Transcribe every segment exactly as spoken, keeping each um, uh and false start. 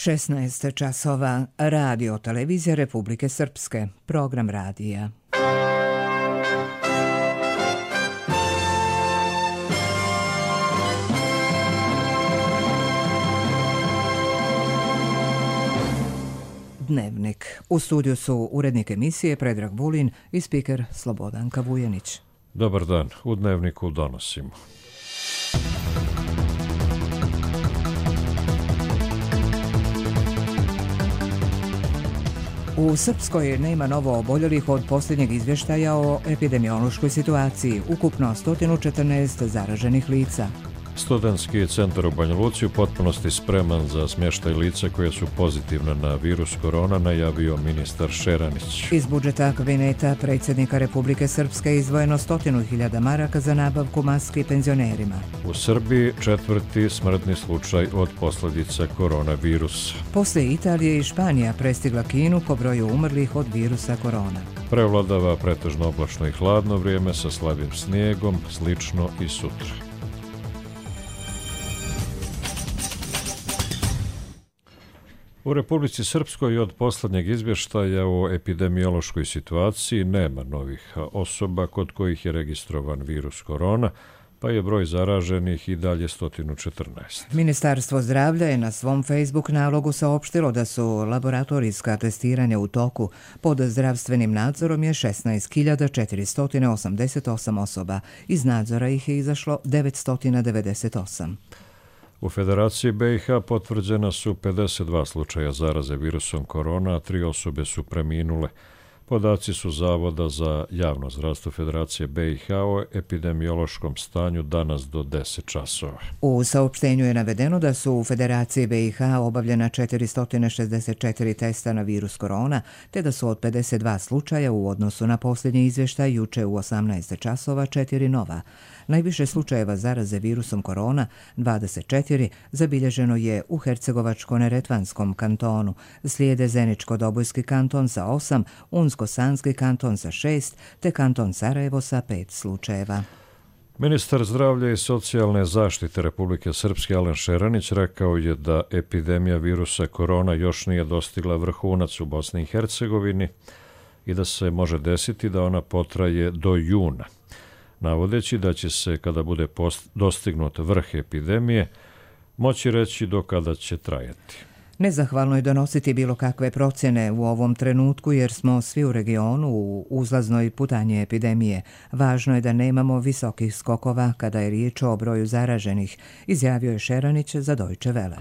šesnaest časova, radio televizija Republike Srpske, program radija. Dnevnik. U studiju su urednik emisije Predrag Vulin i spiker Slobodanka Vujanić. Dobar dan. U Dnevniku donosimo. U Srpskoj nema novo oboljelih od posljednjeg izvještaja o epidemiološkoj situaciji. Ukupno sto četrnaest zaraženih lica. Studentski centar u Banja Luci u potpunosti spreman za smještaj lica koje su pozitivna na virus korona, najavio ministar Šeranić. Iz budžeta kabineta predsjednika Republike Srpske izdvojeno stotinu hiljada maraka za nabavku maski penzionerima. U Srbiji četvrti smrtni slučaj od posljedica koronavirusa. Poslije Italije i Španija prestigla Kinu po broju umrlih od virusa korona. Prevladava pretežno oblačno i hladno vrijeme sa slabim snijegom, slično i sutra. U Republici Srpskoj od posljednjeg izvještaja o epidemiološkoj situaciji nema novih osoba kod kojih je registrovan virus korona, pa je broj zaraženih i dalje sto četrnaest. Ministarstvo zdravlja je na svom Facebook nalogu saopštilo da su laboratorijska testiranja u toku. Pod zdravstvenim nadzorom je šesnaest hiljada četiristo osamdeset osam osoba. Iz nadzora ih je izašlo devetsto devedeset osam. U Federaciji be i ha potvrđena su pedeset dva slučaja zaraze virusom korona, a tri osobe su preminule. Podaci su Zavoda za javno zdravstvo Federacije be i ha o epidemiološkom stanju danas do deset časova. U saopštenju je navedeno da su u Federaciji be i ha obavljena četiristo šezdeset četiri testa na virus korona, te da su od pedeset dva slučaja u odnosu na posljednji izvještaj juče u osamnaest časova četiri nova. Najviše slučajeva zaraze virusom korona, dvadeset četiri, zabilježeno je u Hercegovačko-neretvanskom kantonu, slijede Zeničko-Dobojski kanton sa osam, Unsko-Sanski kanton sa šest, te kanton Sarajevo sa pet slučajeva. Ministar zdravlja i socijalne zaštite Republike Srpske Alen Šeranić rekao je da epidemija virusa korona još nije dostigla vrhunac u Bosni i Hercegovini i da se može desiti da ona potraje do juna, navodeći da će se, kada bude post, dostignut vrh epidemije, moći reći do kada će trajati. Nezahvalno je donositi bilo kakve procjene u ovom trenutku jer smo svi u regionu u uzlaznoj putanji epidemije. Važno je da nemamo visokih skokova kada je riječ o broju zaraženih, izjavio je Šeranić za Deutsche Welle.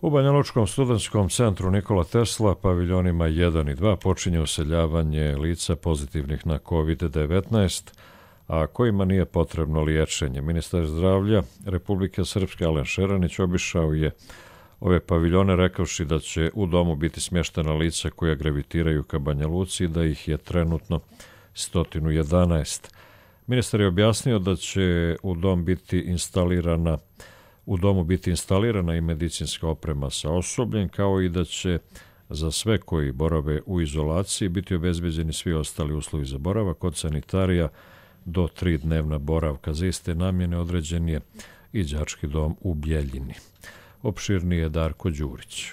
U Banjalučkom studentskom centru Nikola Tesla, paviljonima jedan i dva, počinje useljavanje lica pozitivnih na kovid devetnaest, a kojima nije potrebno liječenje. Ministar zdravlja Republike Srpske Alen Šeranić obišao je ove paviljone rekavši da će u domu biti smještena lica koja gravitiraju ka Banja Luci i da ih je trenutno sto jedanaest. Ministar je objasnio da će u dom biti instalirana u domu biti instalirana i medicinska oprema sa osobljem, kao i da će za sve koji borave u izolaciji biti obezbeđeni svi ostali uslovi za boravak od sanitarija do tri dnevna boravka. Za iste namjene određen je i đački dom u Bjeljini. Opširnije je Darko Đurić.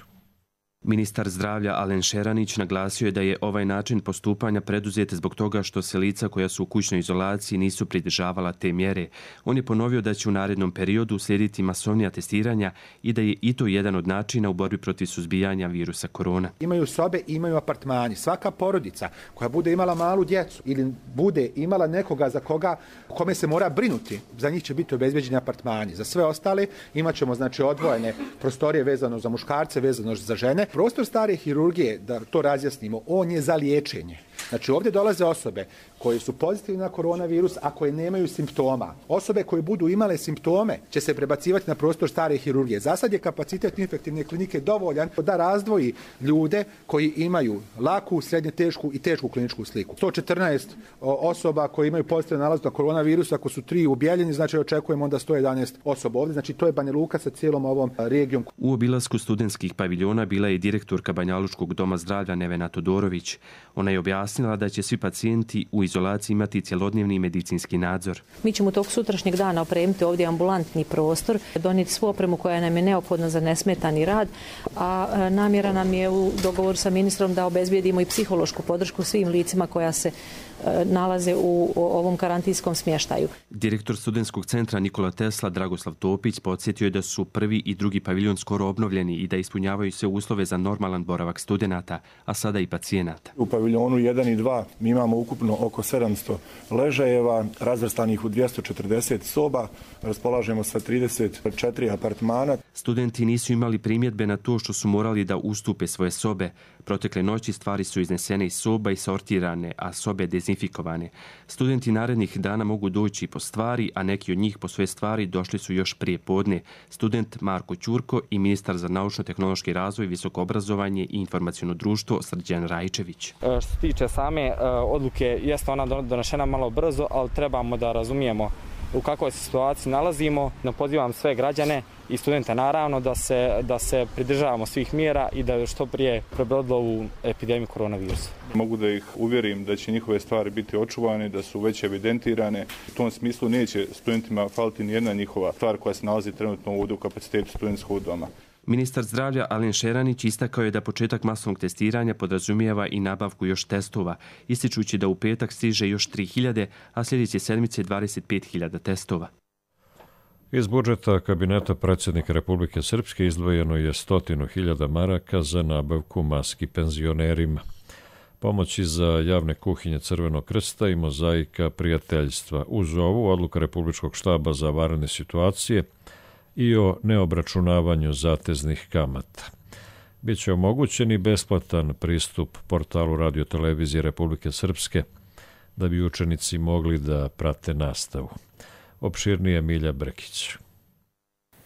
Ministar zdravlja Alen Šeranić naglasio je da je ovaj način postupanja preduzet zbog toga što se lica koja su u kućnoj izolaciji nisu pridržavala te mjere. On je ponovio da će u narednom periodu slijediti masovnija testiranja i da je i to jedan od načina u borbi protiv suzbijanja virusa korona. Imaju sobe, imaju apartmani. Svaka porodica koja bude imala malu djecu ili bude imala nekoga za koga kome se mora brinuti, za njih će biti obezbeđeni apartmani. Za sve ostale imat ćemo znači odvojene prostorije vezano za muškarce, vezano za žene. Prostor stare hirurgije, da to razjasnimo, on je za liječenje. Znači ovdje dolaze osobe koje su pozitivne na koronavirus, a koje nemaju simptoma. Osobe koje budu imale simptome će se prebacivati na prostor stare hirurgije. Za sad je kapacitet infektivne klinike dovoljan da razdvoji ljude koji imaju laku, srednje tešku i tešku kliničku sliku. sto četrnaest osoba koje imaju pozitivno nalaz na koronavirus, ako su tri u Bjeljini, znači očekujemo onda sto jedanaest osoba ovdje. Znači to je Banja Luka sa cijelom ovom regijom. U obilasku studentskih paviljona bila je direktorka Banjalučkog doma zdravlja Nevena Todorović. Ona je objasnila da će svi pacijenti u izolaciji izolaciji imati cjelodnevni medicinski nadzor. Mi ćemo tog sutrašnjeg dana opremiti ovdje ambulantni prostor, donijeti svu opremu koja nam je neophodna za nesmetani rad, a namjera nam je u dogovoru sa ministrom da obezbijedimo i psihološku podršku svim licima koja se nalaze u ovom karantinskom smještaju. Direktor studentskog centra Nikola Tesla Dragoslav Topić podsjetio je da su prvi i drugi paviljon skoro obnovljeni i da ispunjavaju sve uslove za normalan boravak studenata, a sada i pacijenata. U paviljonu jedan i dva mi imamo ukupno oko sedamsto ležajeva, razvrstanih u dvjesto četrdeset soba, raspolažemo sa trideset četiri apartmana. Studenti nisu imali primjedbe na to što su morali da ustupe svoje sobe. Protekle noći stvari su iznesene iz soba i sortirane, a sobe dezinfikovane. Studenti narednih dana mogu doći po stvari, a neki od njih po svoje stvari došli su još prije podne. Student Marko Ćurko i ministar za naučno-tehnološki razvoj, visoko obrazovanje i informaciono društvo Srđan Rajčević. Što se tiče same odluke, jeste ona donešena malo brzo, ali trebamo da razumijemo u kakvoj se situaciji nalazimo. Pozivam sve građane i studente naravno da se, da se pridržavamo svih mjera i da što prije prebrodilo ovu epidemiju koronavirusa. Mogu da ih uvjerim da će njihove stvari biti očuvane, da su već evidentirane. U tom smislu neće studentima faliti nijedna njihova stvar koja se nalazi trenutno ovdje u kapacitetu studentskog doma. Ministar zdravlja Alen Šeranić istakao je da početak masovnog testiranja podrazumijeva i nabavku još testova, ističući da u petak stiže još tri hiljade, a sljedeće sedmice dvadeset pet hiljada testova. Iz budžeta kabineta predsjednika Republike Srpske izdvojeno je stotinu hiljada maraka za nabavku maski penzionerima. Pomoći za javne kuhinje Crvenog krsta i mozaika prijateljstva. Uz ovu odluka Republičkog štaba za vanredne situacije i o neobračunavanju zateznih kamata. Biće omogućen i besplatan pristup portalu radiotelevizije Republike Srpske da bi učenici mogli da prate nastavu. Opširnije Milja Brekić.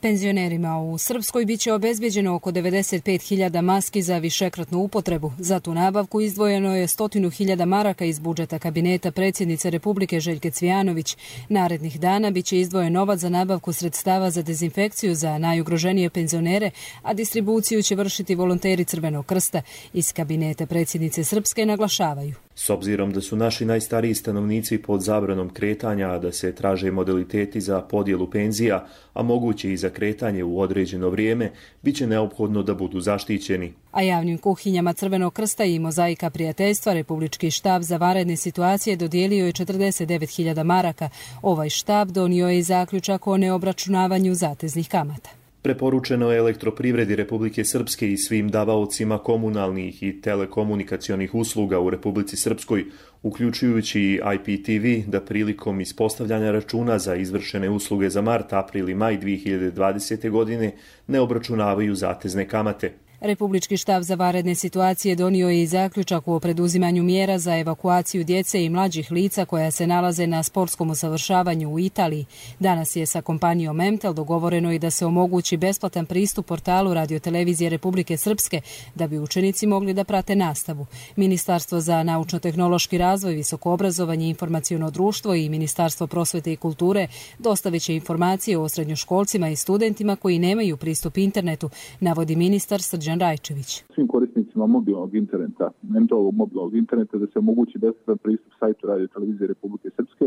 Penzionerima u Srpskoj biće obezbeđeno oko devedeset pet hiljada maski za višekratnu upotrebu. Za tu nabavku izdvojeno je stotinu hiljada maraka iz budžeta kabineta predsjednice Republike Željke Cvijanović. Narednih dana biće izdvojen novac za nabavku sredstava za dezinfekciju za najugroženije penzionere, a distribuciju će vršiti volonteri Crvenog krsta. Iz kabineta predsjednice Srpske naglašavaju: S obzirom da su naši najstariji stanovnici pod zabranom kretanja, a da se traže modaliteti za podjelu penzija, a moguće i za kretanje u određeno vrijeme, bit će neophodno da budu zaštićeni. A javnim kuhinjama Crvenog krsta i mozaika prijateljstva Republički štab za vanredne situacije dodijelio je četrdeset devet hiljada maraka. Ovaj štab donio je i zaključak o neobračunavanju zateznih kamata. Preporučeno je Elektroprivredi Republike Srpske i svim davaocima komunalnih i telekomunikacionih usluga u Republici Srpskoj, uključujući i I P T V, da prilikom ispostavljanja računa za izvršene usluge za mart, april i maj dvije hiljade dvadesete. godine ne obračunavaju zatezne kamate. Republički štab za vanredne situacije donio je i zaključak o preduzimanju mjera za evakuaciju djece i mlađih lica koja se nalaze na sportskom usavršavanju u Italiji. Danas je sa kompanijom Emtel dogovoreno i da se omogući besplatan pristup portalu radiotelevizije Republike Srpske da bi učenici mogli da prate nastavu. Ministarstvo za naučno-tehnološki razvoj, visoko obrazovanje i informaciono društvo i Ministarstvo prosvete i kulture dostavit će informacije o srednjoškolcima i studentima koji nemaju pristup internetu, navodi ministar Srđan Rajčević. Svim korisnicima mobilnog interneta, Emtelovog mobilnog interneta, da se omogući besplatan pristup sajtu radiotelevizije Republike Srpske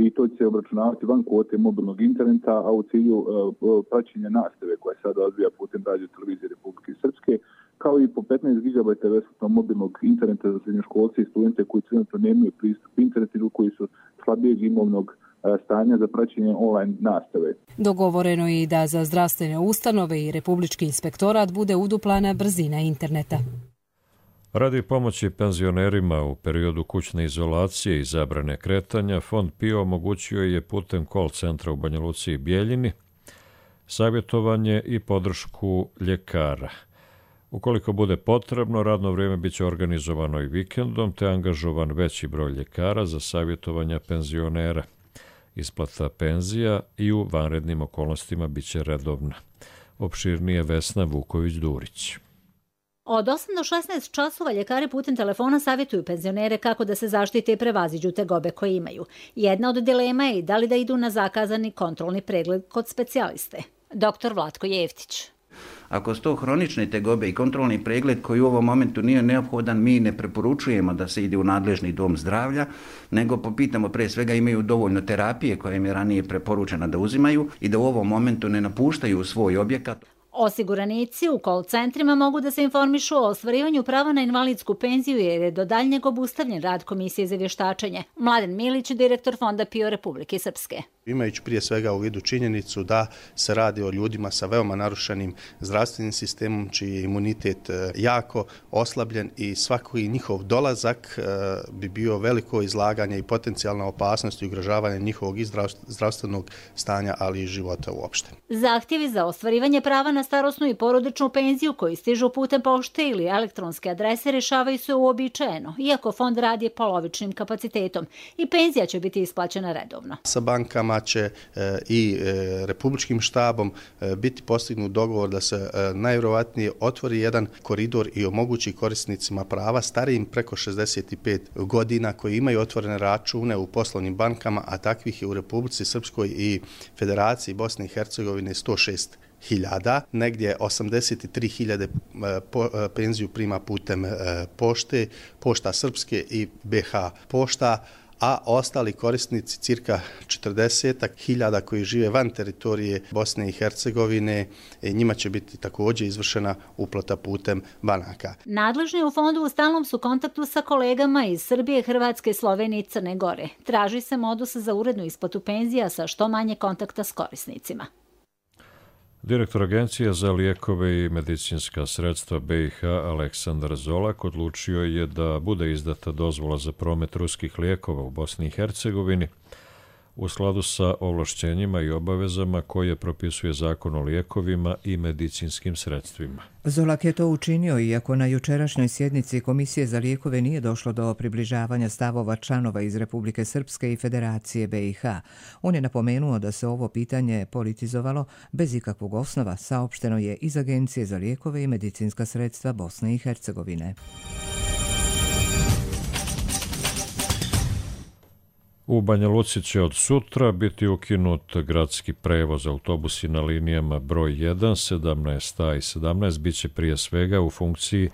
i to će se obračunavati van kvote mobilnog interneta, a u cilju uh, praćenja nastave koja se sada odvija putem radiotelevizije Republike Srpske, kao i po petnaest gigabajta besplatnog mobilnog interneta za srednjoškolce i studente koji trenutno nemaju pristup internetu ili koji su slabijeg imovnog stanja za praćenje online nastave. Dogovoreno je i da za zdravstvene ustanove i Republički inspektorat bude uduplana brzina interneta. Radi pomoći penzionerima u periodu kućne izolacije i zabrane kretanja, Fond P I O omogućio je putem call centra u Banja Luci i Bijeljini savjetovanje i podršku ljekara. Ukoliko bude potrebno, radno vrijeme biće organizovano i vikendom, te angažovan veći broj ljekara za savjetovanja penzionera. Isplata penzija i u vanrednim okolnostima biće redovna. Opširnije Vesna Vuković-Durić. Od osam do šesnaest časova ljekari putem telefona savjetuju penzionere kako da se zaštite i prevaziđu tegobe koje imaju. Jedna od dilema je da li da idu na zakazani kontrolni pregled kod specijaliste. Doktor Vlatko Jeftić. Ako su to hronične tegobe i kontrolni pregled koji u ovom momentu nije neophodan, mi ne preporučujemo da se ide u nadležni dom zdravlja, nego popitamo pre svega imaju dovoljno terapije koje im je ranije preporučeno da uzimaju i da u ovom momentu ne napuštaju svoj objekat. Osiguranici u call centrima mogu da se informišu o ostvarivanju prava na invalidsku penziju jer je do daljnjeg obustavljen rad Komisije za vještačenje. Mladen Milić, direktor Fonda PIO Republike Srpske. Imajući prije svega u vidu činjenicu da se radi o ljudima sa veoma narušenim zdravstvenim sistemom, čiji je imunitet jako oslabljen i svaki njihov dolazak bi bio veliko izlaganje i potencijalna opasnost i ugrožavanje njihovog i zdravstvenog stanja, ali i života uopšte. Zahtjevi za ostvarivanje prava na starosnu i porodičnu penziju koji stižu putem pošte ili elektronske adrese rješavaju se uobičajeno, iako fond radi polovičnim kapacitetom i penzija će biti isplaćena redovno. Sa bankama će i republičkim štabom biti postignut dogovor da se najvjerovatnije otvori jedan koridor i omogući korisnicima prava starijim preko šezdeset pet godina koji imaju otvorene račune u poslovnim bankama, a takvih je u Republici Srpskoj i Federaciji Bosne i Hercegovine sto šest hiljada, negdje osamdeset tri hiljade penziju prima putem pošte, pošta Srpske i B H pošta, a ostali korisnici cirka četrdeset hiljada koji žive van teritorije Bosne i Hercegovine, njima će biti također izvršena uplata putem banaka. Nadležni u fondu u stalnom su kontaktu sa kolegama iz Srbije, Hrvatske, Slovenije i Crne Gore. Traži se modus za urednu isplatu penzija sa što manje kontakta s korisnicima. Direktor Agencije za lijekove i medicinska sredstva B i H Aleksandar Zolak odlučio je da bude izdata dozvola za promet ruskih lijekova u Bosni i Hercegovini u skladu sa ovlašćenjima i obavezama koje propisuje Zakon o lijekovima i medicinskim sredstvima. Zolak je to učinio iako na jučerašnjoj sjednici Komisije za lijekove nije došlo do približavanja stavova članova iz Republike Srpske i Federacije B i H. On je napomenuo da se ovo pitanje politizovalo bez ikakvog osnova, saopšteno je iz Agencije za lijekove i medicinska sredstva Bosne i Hercegovine. U Banja Luci će od sutra biti ukinut gradski prevoz. Autobusi na linijama broj jedan, sedamnaest A i sedamnaest biće prije svega u funkciji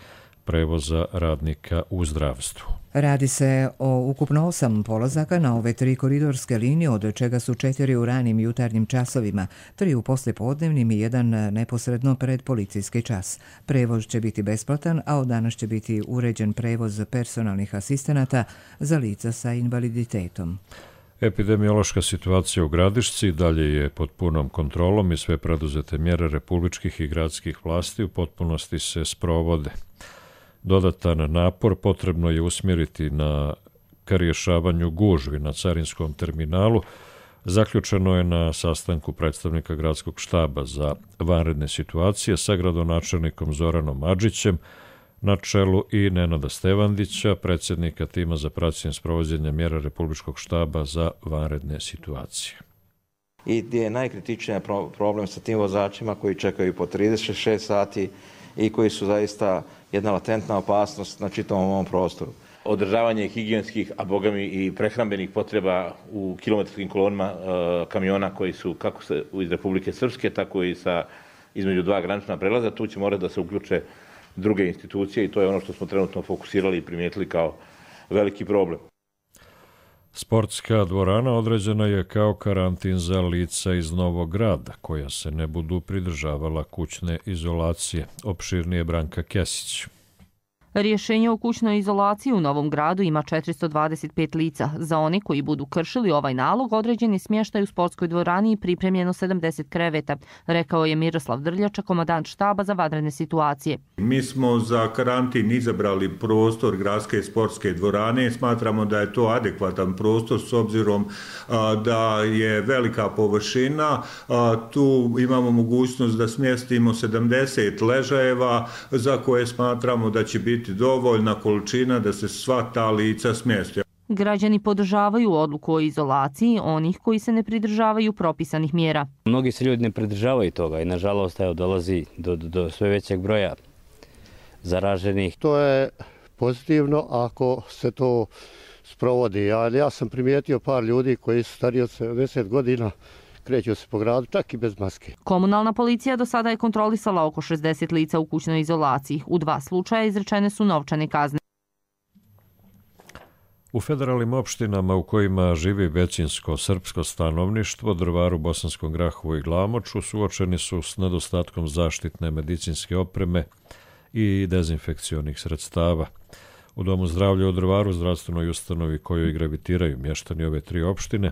prevoza radnika u zdravstvu. Radi se o ukupno osam polazaka na ove tri koridorske linije, od čega su četiri u ranim jutarnjim časovima, tri u poslijepodnevnim i jedan neposredno pred policijski čas. Prevoz će biti besplatan, a od danas će biti uređen prevoz personalnih asistenata za lica sa invaliditetom. Epidemiološka situacija u Gradišci dalje je pod punom kontrolom i sve preduzete mjere republičkih i gradskih vlasti u potpunosti se sprovode. Dodatan napor potrebno je usmjeriti na ka rješavanju gužvi na carinskom terminalu. Zaključeno je na sastanku predstavnika gradskog štaba za vanredne situacije sa gradonačelnikom Zoranom Adžićem na čelu i Nenada Stevandića, predsjednika tima za praćenje sprovođenja mjera republičkog štaba za vanredne situacije. I gdje je najkritičniji problem sa tim vozačima koji čekaju po trideset šest sati i koji su zaista jedna latentna opasnost na čitavom ovom prostoru. Održavanje higijenskih, a bogami i prehrambenih potreba u kilometarskim kolonima e, kamiona koji su kako se iz Republike Srpske, tako i sa između dva granična prelaza. Tu će morati da se uključe druge institucije i to je ono što smo trenutno fokusirali i primijetili kao veliki problem. Sportska dvorana određena je kao karantin za lica iz Novog Grada, koja se ne budu pridržavala kućne izolacije. Opširnije Branka Kesić. Rješenje o kućnoj izolaciji u Novom Gradu ima četiristo dvadeset pet lica. Za one koji budu kršili ovaj nalog, određeni smještaj u sportskoj dvorani i pripremljeno sedamdeset kreveta, rekao je Miroslav Drljača, komandant štaba za vanredne situacije. Mi smo za karantin izabrali prostor gradske sportske dvorane. Smatramo da je to adekvatan prostor s obzirom a, da je velika površina. A, tu imamo mogućnost da smjestimo sedamdeset ležajeva za koje smatramo da će biti dovoljna količina da se sva ta lica smjeste. Građani podržavaju odluku o izolaciji onih koji se ne pridržavaju propisanih mjera. Mnogi se ljudi ne pridržavaju toga i nažalost evo, dolazi do, do, do sve većeg broja zaraženih. To je pozitivno ako se to sprovodi. Ja, ja sam primijetio par ljudi koji su stariji od sedamdeset godina kreću se po gradu, čak i bez maske. Komunalna policija do sada je kontrolisala oko šezdeset lica u kućnoj izolaciji. U dva slučaja izrečene su novčane kazne. U federalnim opštinama u kojima živi većinsko srpsko stanovništvo, Drvaru, Bosanskom Grahovu i Glamoču, suočeni su s nedostatkom zaštitne medicinske opreme i dezinfekcionih sredstava. U Domu zdravlja u Drvaru, zdravstvenoj ustanovi kojoj gravitiraju mještani ove tri opštine,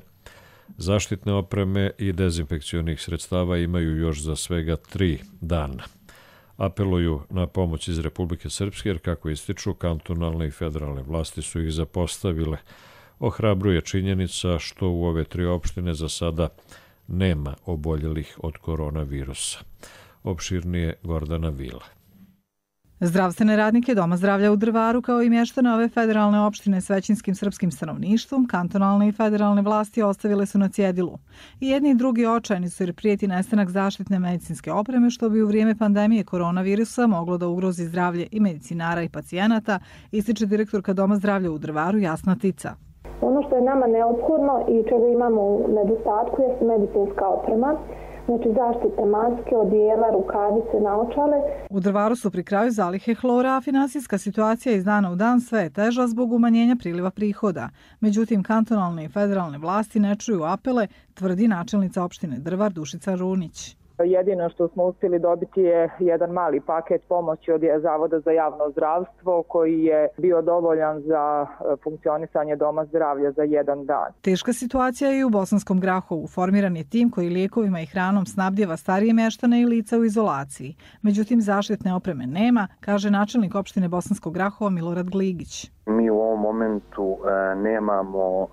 zaštitne opreme i dezinfekcionih sredstava imaju još za svega tri dana. Apeluju na pomoć iz Republike Srpske, jer kako ističu, kantonalne i federalne vlasti su ih zapostavile. Ohrabruje činjenica što u ove tri opštine za sada nema oboljelih od koronavirusa. Opširnije Gordana Vila. Zdravstvene radnike Doma zdravlja u Drvaru, kao i mještane ove federalne opštine s većinskim srpskim stanovništvom, kantonalne i federalne vlasti ostavile su na cjedilu. I jedni i drugi očajni su jer prijeti nestanak zaštitne medicinske opreme, što bi u vrijeme pandemije koronavirusa moglo da ugrozi zdravlje i medicinara i pacijenata, ističe direktorka Doma zdravlja u Drvaru Jasna Tica. Ono što je nama neophodno i čega imamo u nedostatku je medicinska oprema. Znači zaštite maske, odijela, rukavice, naočale. U Drvaru su pri kraju zalihe hlora, a finansijska situacija iz dana u dan sve je teža zbog umanjenja priliva prihoda. Međutim, kantonalne i federalne vlasti ne čuju apele, tvrdi načelnica opštine Drvar Dušica Runić. Jedino što smo uspjeli dobiti je jedan mali paket pomoći od Zavoda za javno zdravstvo koji je bio dovoljan za funkcionisanje Doma zdravlja za jedan dan. Teška situacija je i u Bosanskom Grahovu. Formiran je tim koji lijekovima i hranom snabdjeva starije mještane i lica u izolaciji. Međutim, zaštitne opreme nema, kaže načelnik opštine Bosanskog Grahova Milorad Gligić. Mi u ovom momentu e, nemamo e,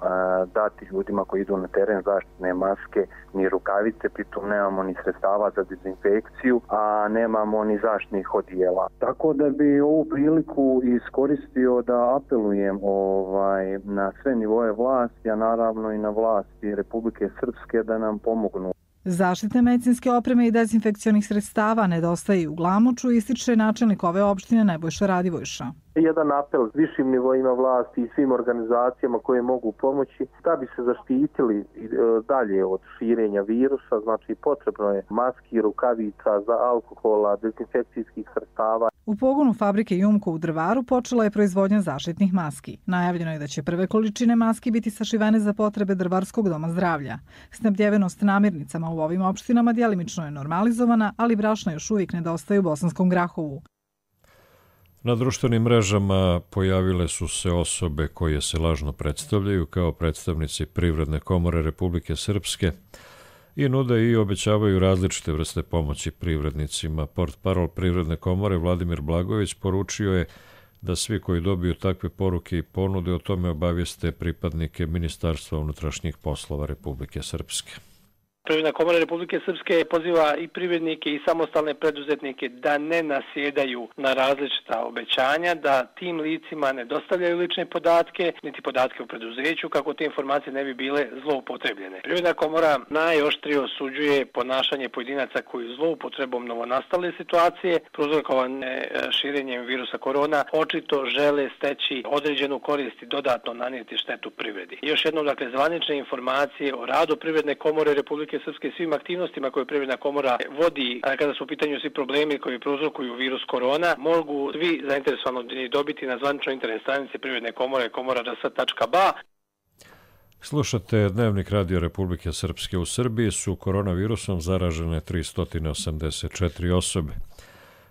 dati ljudima koji idu na teren zaštitne maske ni rukavice, pritom nemamo ni sredstava za dezinfekciju, a nemamo ni zaštitnih odijela. Tako da bi ovu priliku iskoristio da apelujem ovaj, na sve nivoje vlasti, a naravno i na vlasti Republike Srpske da nam pomognu. Zaštitne medicinske opreme i dezinfekcionih sredstava nedostaje u Glamoču, ističe načelnik ove opštine Nebojša Radivojša. Jedan apel višim nivoima vlasti i svim organizacijama koje mogu pomoći da bi se zaštitili dalje od širenja virusa, znači potrebno je maski, rukavica, za alkohola, dezinfekcijskih sredstava. U pogonu fabrike Jumko u Drvaru počela je proizvodnja zaštitnih maski. Najavljeno je da će prve količine maski biti sašivene za potrebe Drvarskog doma zdravlja. Snabdjevenost namirnicama u ovim opštinama djelimično je normalizovana, ali brašna još uvijek nedostaje u Bosanskom Grahovu. Na društvenim mrežama pojavile su se osobe koje se lažno predstavljaju kao predstavnici Privredne komore Republike Srpske i nude i obećavaju različite vrste pomoći privrednicima. Portparol Privredne komore Vladimir Blagović poručio je da svi koji dobiju takve poruke i ponude o tome obavijeste pripadnike Ministarstva unutrašnjih poslova Republike Srpske. Privredna komora Republike Srpske poziva i privrednike i samostalne preduzetnike da ne nasjedaju na različita obećanja, da tim licima ne dostavljaju lične podatke, niti podatke u preduzeću, kako te informacije ne bi bile zloupotrebljene. Privredna komora najoštrije osuđuje ponašanje pojedinaca koji zloupotrebom novonastale situacije, prouzrokovane širenjem virusa korona, očito žele steći određenu korist i dodatno nanijeti štetu privredi. Još jednom, dakle, zvanične informacije o radu Privredne komore Republike Srpske, svim aktivnostima koje Privredna komora vodi, kada su u pitanju svi problemi koji prouzrokuju virus korona, mogu svi zainteresovani dobiti na zvaničnoj internet stranici Privredne komore komora d s tačka b a. Slušate Dnevnik Radio Republike Srpske. U Srbiji su koronavirusom zaražene tristo osamdeset četiri osobe.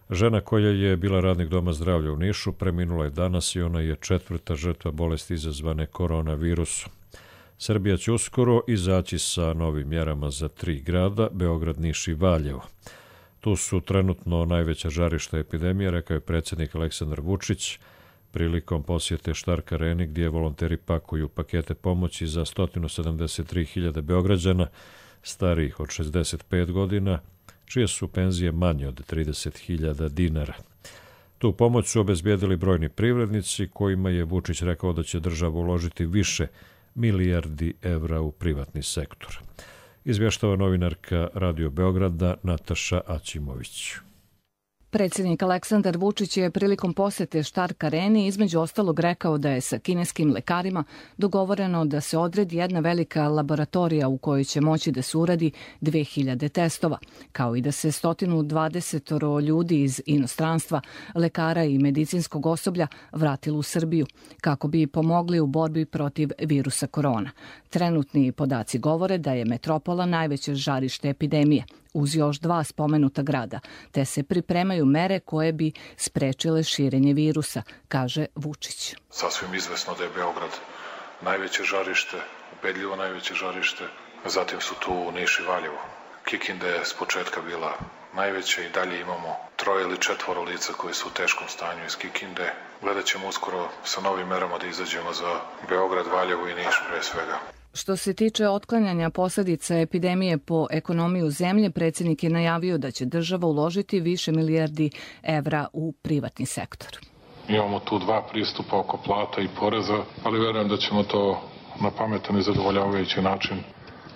Žena koja je bila radnik Doma zdravlja u Nišu preminula je danas i ona je četvrta žrtva bolesti izazvane koronavirusom. Srbija će uskoro izaći sa novim mjerama za tri grada, Beograd, Niš i Valjevo. Tu su trenutno najveća žarišta epidemije, rekao je predsjednik Aleksandar Vučić, prilikom posjete Štark Areni gdje volonteri pakuju pakete pomoći za sto sedamdeset tri hiljade Beograđana starijih od šezdeset pet godina, čije su penzije manje od trideset hiljada dinara. Tu pomoć su obezbijedili brojni privrednici kojima je Vučić rekao da će država uložiti više milijardi evra u privatni sektor. Izvještava novinarka Radio Beograda Nataša Aćimović. Predsjednik Aleksandar Vučić je prilikom posete Stark Areni između ostalog rekao da je sa kineskim lekarima dogovoreno da se odredi jedna velika laboratorija u kojoj će moći da se uradi dve hiljade testova, kao i da se sto dvadeset ljudi iz inostranstva, lekara i medicinskog osoblja vratilo u Srbiju kako bi pomogli u borbi protiv virusa korona. Trenutni podaci govore da je metropola najveće žarište epidemije, uz još dva spomenuta grada, te se pripremaju mere koje bi sprečile širenje virusa, kaže Vučić. Sasvim izvesno da je Beograd najveće žarište, ubedljivo najveće žarište, zatim su tu Niš i Valjevo. Kikinda je s početka bila najveća i dalje imamo troje ili četvoro lica koji su u teškom stanju iz Kikinde. Gledat ćemo uskoro sa novim merama da izađemo za Beograd, Valjevo i Niš pre svega. Što se tiče otklanjanja posljedica epidemije po ekonomiju zemlje, predsjednik je najavio da će država uložiti više milijardi evra u privatni sektor. Imamo tu dva pristupa oko plata i poreza, ali verujem da ćemo to na pametan i zadovoljavajući način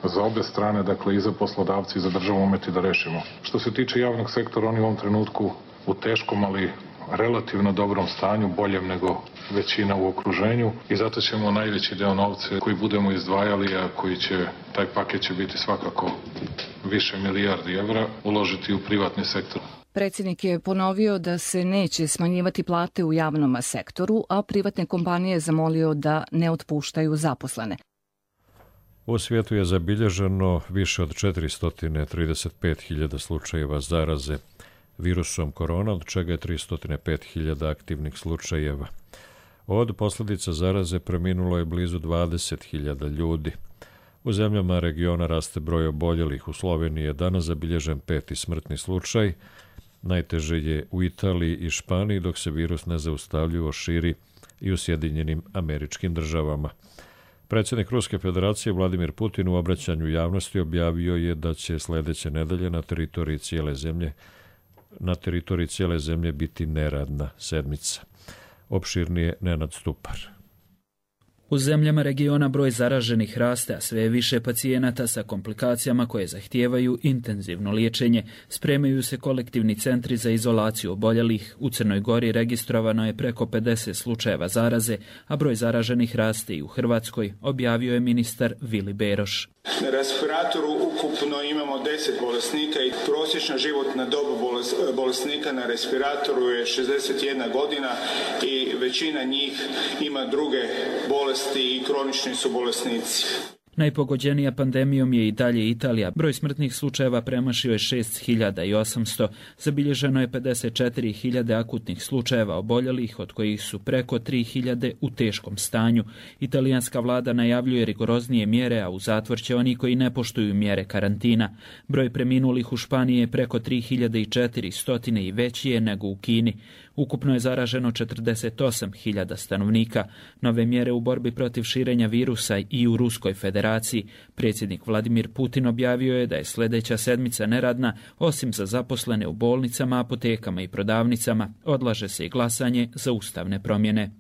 za obe strane, dakle i za poslodavci i za državu umeti da rešimo. Što se tiče javnog sektora, oni u ovom trenutku u teškom, ali relativno dobrom stanju, boljem nego većina u okruženju i zato ćemo najveći deo novca koji budemo izdvajali, a koji će, taj paket će biti svakako više milijardi evra, uložiti u privatni sektor. Predsjednik je ponovio da se neće smanjivati plate u javnom sektoru, a privatne kompanije zamolio da ne otpuštaju zaposlene. U svijetu je zabilježeno više od četiristo trideset pet hiljada slučajeva zaraze virusom korona, od čega je tristo pet hiljada aktivnih slučajeva. Od posljedica zaraze preminulo je blizu dvadeset hiljada ljudi. U zemljama regiona raste broj oboljelih. U Sloveniji je danas zabilježen peti smrtni slučaj. Najteže je u Italiji i Španiji, dok se virus nezaustavljivo širi i u Sjedinjenim Američkim Državama. Predsjednik Ruske federacije Vladimir Putin u obraćanju javnosti objavio je da će sljedeće nedelje na teritoriji cijele zemlje na teritoriji cijele zemlje biti neradna sedmica. Opširnije Nenad Stupar. U zemljama regiona broj zaraženih raste, a sve više pacijenata sa komplikacijama koje zahtijevaju intenzivno liječenje. Spremaju se kolektivni centri za izolaciju oboljelih. U Crnoj Gori registrovano je preko pedeset slučajeva zaraze, a broj zaraženih raste i u Hrvatskoj, objavio je ministar Vili Beroš. Na respiratoru ukupno imamo deset bolesnika i prosječna životna doba bolesnika na respiratoru je šezdeset jedna godina i većina njih ima druge bolesti i kronični su bolesnici. Najpogođenija pandemijom je i dalje Italija. Broj smrtnih slučajeva premašio je šest hiljada osamsto. Zabilježeno je pedeset četiri hiljade akutnih slučajeva oboljelih, od kojih su preko tri hiljade u teškom stanju. Italijanska vlada najavljuje rigoroznije mjere, a u zatvor će oni koji ne poštuju mjere karantina. Broj preminulih u Španiji je preko tri hiljade četiristo i veći je nego u Kini. Ukupno je zaraženo četrdeset osam hiljada stanovnika. Nove mjere u borbi protiv širenja virusa i u Ruskoj federaciji. Predsjednik Vladimir Putin objavio je da je sljedeća sedmica neradna, osim za zaposlene u bolnicama, apotekama i prodavnicama. Odlaže se i glasanje za ustavne promjene.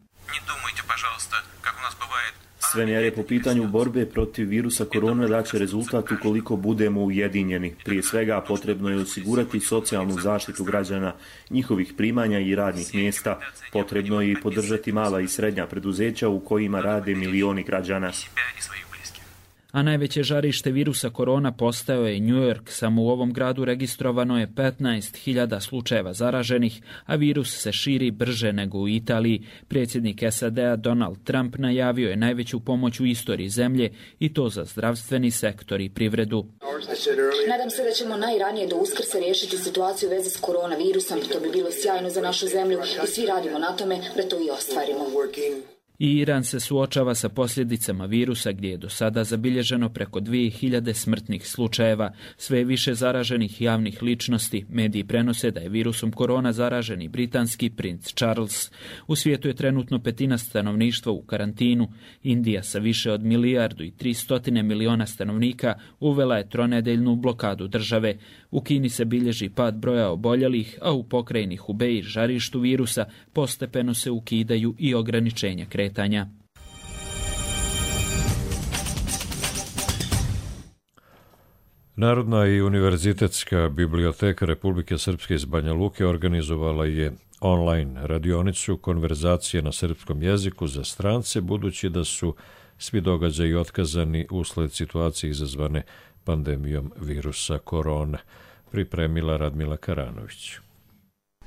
Sve mjere po pitanju borbe protiv virusa korona daće rezultat ukoliko budemo ujedinjeni. Prije svega potrebno je osigurati socijalnu zaštitu građana, njihovih primanja i radnih mjesta. Potrebno je i podržati mala i srednja preduzeća u kojima rade milioni građana. A najveće žarište virusa korona postao je New York. Samo u ovom gradu registrovano je petnaest hiljada slučajeva zaraženih, a virus se širi brže nego u Italiji. Predsjednik S A D-a Donald Trump najavio je najveću pomoć u istoriji zemlje i to za zdravstveni sektor i privredu. Nadam se da ćemo najranije do Uskrsa riješiti situaciju u vezi s koronavirusom. To bi bilo sjajno za našu zemlju i svi radimo na tome da to i ostvarimo. I Iran se suočava sa posljedicama virusa, gdje je do sada zabilježeno preko dvije hiljade smrtnih slučajeva. Sve je više zaraženih javnih ličnosti. Mediji prenose da je virusom korona zaražen i britanski princ Charles. U svijetu je trenutno petina stanovništva u karantinu. Indija sa više od milijardu i tristotine miliona stanovnika uvela je tronedeljnu blokadu države. U Kini se bilježi pad broja oboljelih, a u pokrajini Hubei, žarištu virusa, postepeno se ukidaju i ograničenja kretanja. Narodna i univerzitetska biblioteka Republike Srpske iz Banja Luke organizovala je online radionicu konverzacije na srpskom jeziku za strance, budući da su svi događaji otkazani usled situacije izazvane pandemijom virusa korona, pripremila Radmila Karanović.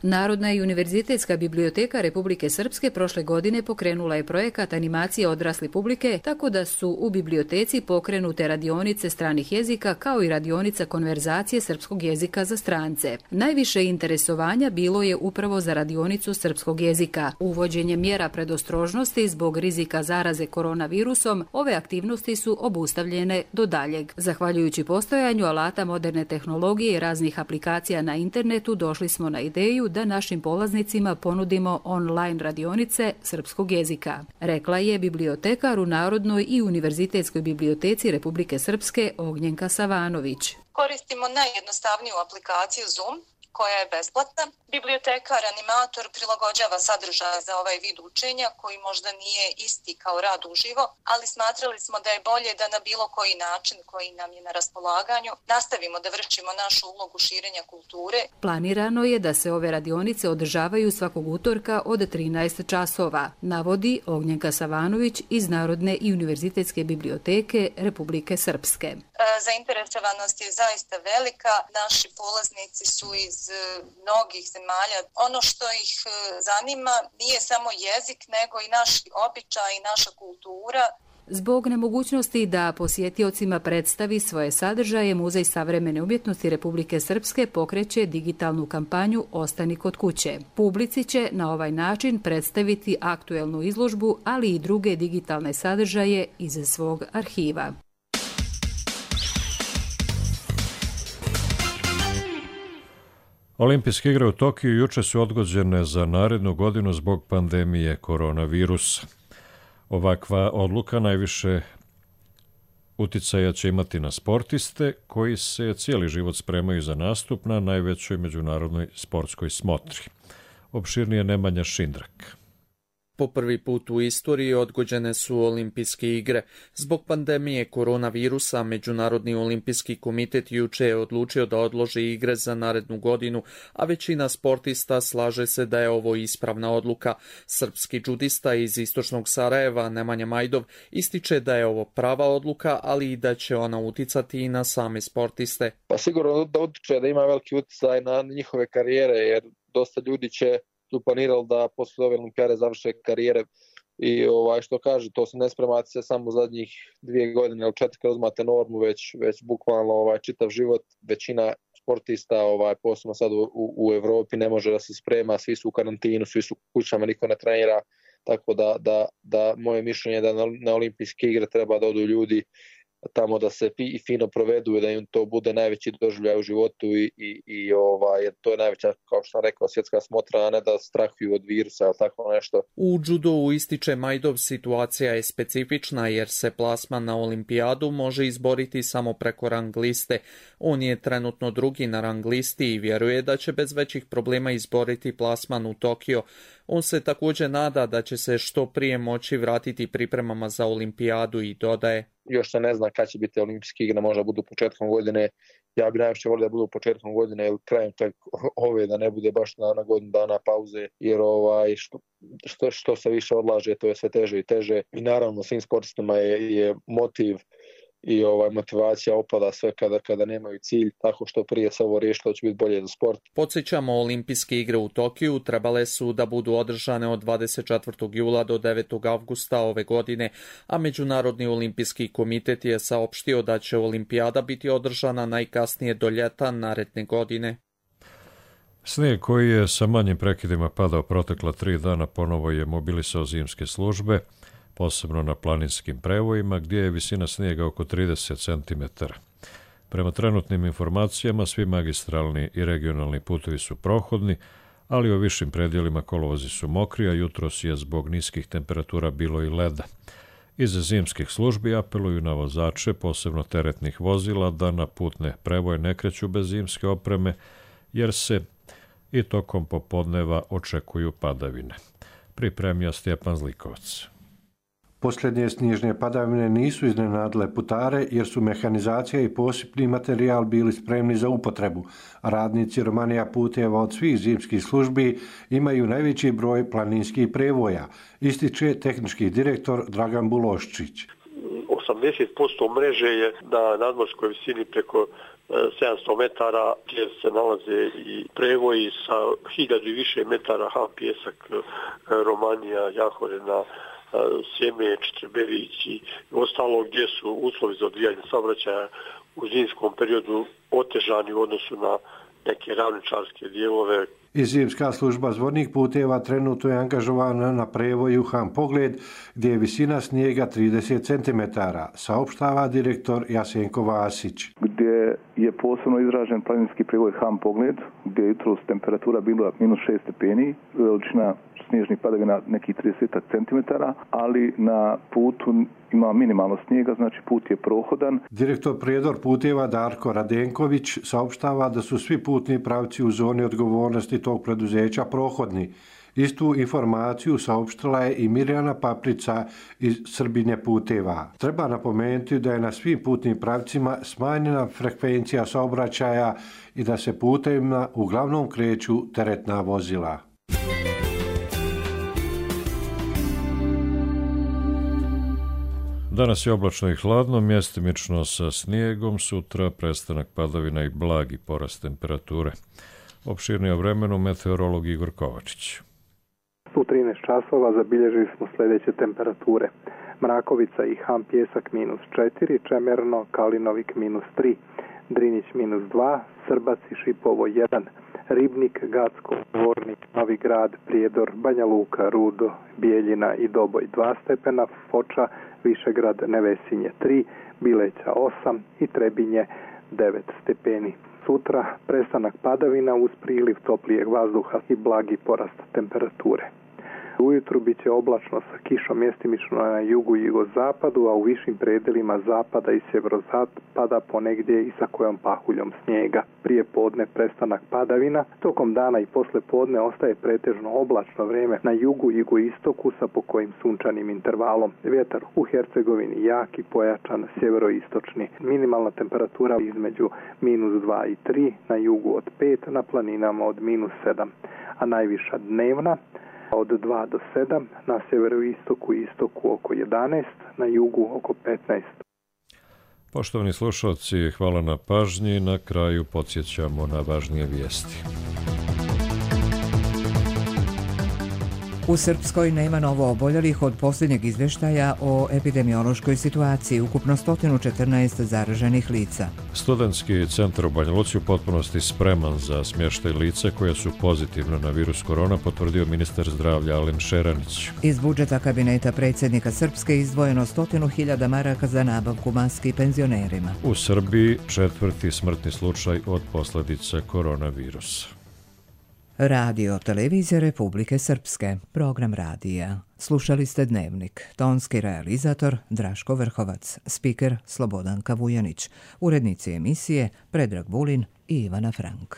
Narodna i univerzitetska biblioteka Republike Srpske prošle godine pokrenula je projekat animacije odrasle publike, tako da su u biblioteci pokrenute radionice stranih jezika kao i radionica konverzacije srpskog jezika za strance. Najviše interesovanja bilo je upravo za radionicu srpskog jezika. Uvođenje mjera predostrožnosti zbog rizika zaraze koronavirusom, ove aktivnosti su obustavljene do daljeg. Zahvaljujući postojanju alata moderne tehnologije i raznih aplikacija na internetu, došli smo na ideju da našim polaznicima ponudimo online radionice srpskog jezika, rekla je bibliotekar u Narodnoj i univerzitetskoj biblioteci Republike Srpske Ognjenka Savanović. Koristimo najjednostavniju aplikaciju Zoom, koja je besplatna. Bibliotekar, animator prilagođava sadržaje za ovaj vid učenja koji možda nije isti kao rad uživo, ali smatrali smo da je bolje da na bilo koji način koji nam je na raspolaganju nastavimo da vršimo našu ulogu širenja kulture. Planirano je da se ove radionice održavaju svakog utorka od trinaest časova, navodi Ognjenka Savanović iz Narodne i univerzitetske biblioteke Republike Srpske. Zainteresovanost je zaista velika. Naši polaznici su iz mnogih zemalja. Ono što ih zanima nije samo jezik, nego i naš običaj i naša kultura. Zbog nemogućnosti da posjetiocima predstavi svoje sadržaje, Muzej savremene umjetnosti Republike Srpske pokreće digitalnu kampanju Ostani kod kuće. Publici će na ovaj način predstaviti aktuelnu izložbu, ali i druge digitalne sadržaje iz svog arhiva. Olimpijske igre u Tokiju juče su odgođene za narednu godinu zbog pandemije koronavirusa. Ovakva odluka najviše uticaja će imati na sportiste koji se cijeli život spremaju za nastup na najvećoj međunarodnoj sportskoj smotri. Opširnije Nemanja Šindrak. Po prvi put u istoriji odgođene su olimpijske igre. Zbog pandemije koronavirusa, Međunarodni olimpijski komitet juče je odlučio da odloži igre za narednu godinu, a većina sportista slaže se da je ovo ispravna odluka. Srpski džudista iz istočnog Sarajeva, Nemanja Majdov, ističe da je ovo prava odluka, ali i da će ona uticati i na same sportiste. Pa sigurno da utiče da ima veliki uticaj na njihove karijere, jer dosta ljudi će su planirali da posle ove olimpijade završe karijere i ovaj, što kaže, to se ne spremati se samo zadnjih dvije godine ili četiri kad uzmate normu, već, već bukvalno ovaj, čitav život. Većina sportista, ovaj, posebno sad u, u Evropi, ne može da se sprema, svi su u karantinu, svi su u kućama, niko ne trenira, tako da, da, da moje mišljenje je da na, na olimpijske igre treba da odu ljudi tamo da se fi, fino provedu i da im to bude najveći doživljaj u životu i, i, i ovaj, to je najveća, kao što sam rekao, svjetska smotra, a ne da strahuju od virusa ili tako nešto. U judou, ističe Majdov, situacija je specifična jer se plasman na olimpijadu može izboriti samo preko rang liste. On je trenutno drugi na rang listi i vjeruje da će bez većih problema izboriti plasman u Tokio. On se također nada da će se što prije moći vratiti pripremama za olimpijadu i dodaje: još se ne zna kad će biti olimpijske igre, možda budu početkom godine. Ja bih najviše volio da budu početkom godine ili krajem čak ove, da ne bude baš na, na godinu dana pauze, jer ovaj, što, što, što se više odlaže, to je sve teže i teže. I naravno svim sportistima je, je motiv i ovaj motivacija opada sve kada kada nemaju cilj, tako što prije se ovo riješilo će biti bolje za sport. Podsjećamo, olimpijske igre u Tokiju trebale su da budu održane od dvadeset četvrtog jula do devetog avgusta ove godine, a Međunarodni olimpijski komitet je saopštio da će olimpijada biti održana najkasnije do ljeta naredne godine. Snijeg koji je sa manjim prekidima padao protekla tri dana ponovo je mobilisao zimske službe, posebno na planinskim prevojima, gdje je visina snijega oko trideset centimetara. Prema trenutnim informacijama, svi magistralni i regionalni putevi su prohodni, ali u višim predjelima kolovozi su mokri, a jutros je zbog niskih temperatura bilo i leda. Iz zimskih službi apeluju na vozače, posebno teretnih vozila, da na putne prevoje ne kreću bez zimske opreme, jer se i tokom popodneva očekuju padavine. Pripremio Stjepan Zlikovac. Posljednje snježne padavine nisu iznenadile putare jer su mehanizacija i posipni materijal bili spremni za upotrebu. Radnici Romanija puteva od svih zimskih službi imaju najveći broj planinskih prevoja, ističe tehnički direktor Dragan Buloščić. osamdeset posto mreže je na nadmorskoj visini preko sedamsto metara gdje se nalaze i prevoji sa hiljadu i više metara ham pjesak, Romanija, Jahorena, Sjeme, Četrberić i ostalo gdje su uslovi za odvijanje saobraćaja u zimskom periodu otežani u odnosu na neke ravničarske dijelove. I zimska služba zvornih puteva trenutno je angažovana na prevoju Ham Pogled, gdje je visina snijega trideset centimetara, saopštava direktor Jasenko Vasić. Gdje je posebno izražen planinski prevoj Ham Pogled, gdje je jutros temperatura bila minus šest stepeni, veličina snježnih padavina nekih trideset centimetara, ali na putu ima minimalno snijega, znači put je prohodan. Direktor Prijedor puteva Darko Radenković saopštava da su svi putni pravci u zoni odgovornosti tog preduzeća prohodni. Istu informaciju saopštila je i Mirjana Paprica iz Srbinje puteva. Treba napomenuti da je na svim putnim pravcima smanjena frekvencija saobraćaja i da se putevima uglavnom kreću teretna vozila. Danas je oblačno i hladno, mjestimično sa snijegom, sutra prestanak padavina i blagi porast temperature. Opširnije o vremenu meteorolog Igor Kovačić. U trinaest časova zabilježili smo sljedeće temperature. Mrakovica i Ham Pjesak minus četiri, Čemerno, Kalinovik minus tri, Drinjić minus dva, Srbac i Šipovo jedan, Ribnik, Gacko, Dvornik, Novi Grad, Prijedor, Banja Luka, Rudo, Bijeljina i Doboj dva stepena, Foča, Višegrad, Nevesinje tri, Bileća osam i Trebinje devet stepeni. Sutra prestanak padavina uz priliv toplijeg vazduha i blagi porast temperature. Ujutru bit će oblačno sa kišom mjestimično na jugu i jugozapadu, a u višim predelima zapada i sjeverozapada ponegdje i sa kojom pahuljom snijega. Prije podne prestanak padavina, tokom dana i posle podne ostaje pretežno oblačno vrijeme na jugu i jugoistoku sa pokojim sunčanim intervalom. Vjetar u Hercegovini jak i pojačan sjeveroistočni. Minimalna temperatura između minus dva i tri, na jugu od pet, na planinama od minus sedam, a najviša dnevna od dva do sedam, na sjeveroistoku i istoku oko jedanaest, na jugu oko petnaest. Poštovani slušalci, hvala na pažnji. Na kraju podsjećamo na važnije vijesti. U Srpskoj nema novo oboljelih od posljednjeg izvještaja o epidemiološkoj situaciji, ukupno sto četrnaest zaraženih lica. Studentski centar u Banja Luci u potpunosti spreman za smještaj lica koja su pozitivna na virus korona, potvrdio ministar zdravlja Alen Šeranić. Iz budžeta kabineta predsjednika Srpske izdvojeno sto hiljada maraka za nabavku maski penzionerima. U Srbiji četvrti smrtni slučaj od posljedica koronavirusa. Radio Televizija Republike Srpske, program radija. Slušali ste Dnevnik, tonski realizator Draško Vrhovac, spiker Slobodanka Vujanić, urednici emisije Predrag Vulin i Ivana Frank.